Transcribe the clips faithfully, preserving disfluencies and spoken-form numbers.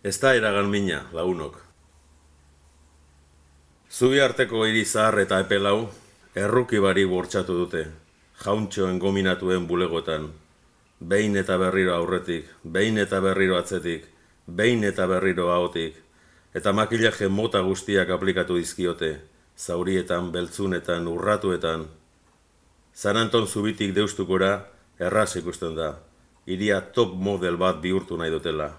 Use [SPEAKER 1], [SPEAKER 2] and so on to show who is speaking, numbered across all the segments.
[SPEAKER 1] Ez da iragan mina, lagunok. Zubi arteko hiri zahar eta epelau, erruki bari bortxatu dute, jauntxoen gominatuen bulegotan, behin eta berriro aurretik, behin eta berriro atzetik, behin eta berriro ahotik, eta makillaje mota guztiak aplikatu dizkiote, zaurietan, beltzunetan, urratuetan. San Anton zubitik deustukora, erraz ikusten da, hiria top model bat bihurtu nahi dutela.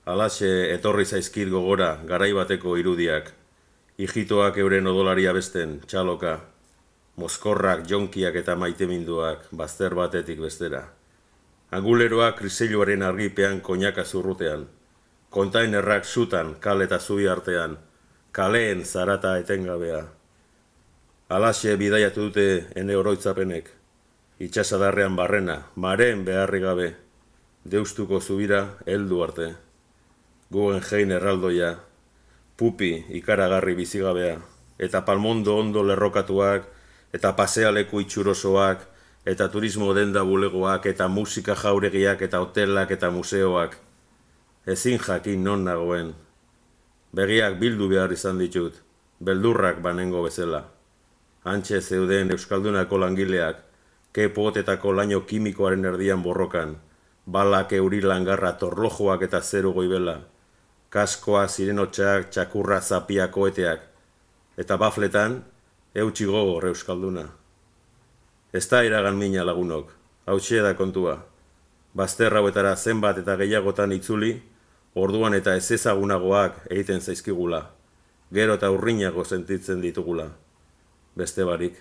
[SPEAKER 1] Halaxe etorri zaizkit gogora garai bateko irudiak, hijitoak euren odolaria besten, txaloka, mozkorrak, jonkiak eta maiteminduak, bazter batetik bestera. Anguleroak kriseiluaren argipean koinaka zurrutean, kontainerrak sutan, kale eta zubi artean, kaleen zarata etengabea. Halaxe bidaiatu dute ene oroitzapenek, itxasadarrean barrena, maren beharri gabe, deustuko zubira heldu arte. Guggenheim erraldoia, pupi ikaragarri bizigabea, eta palmondo ondo lerrokatuak, eta pasealeku itxurosoak, eta turismo denda bulegoak, eta musika jauregiak, eta hotelak, eta museoak. Ezin jakin non nagoen. Begiak bildu behar izan ditut, beldurrak banengo bezala. Hantxe zeuden euskaldunako langileak, kepotetako laino kimikoaren erdian borrokan, balak euri langarra torlojoak eta zeru goibela, kaskoa zirenotxak txakurra zapia koeteak, eta bafletan, eutxi gogor euskalduna. Ez da iragan mina lagunok, hautxe da kontua. Bazter hauetara zenbat eta gehiagotan itzuli, orduan eta ez ezagunagoak egiten zaizkigula, gero eta urrinago sentitzen ditugula. Beste barik.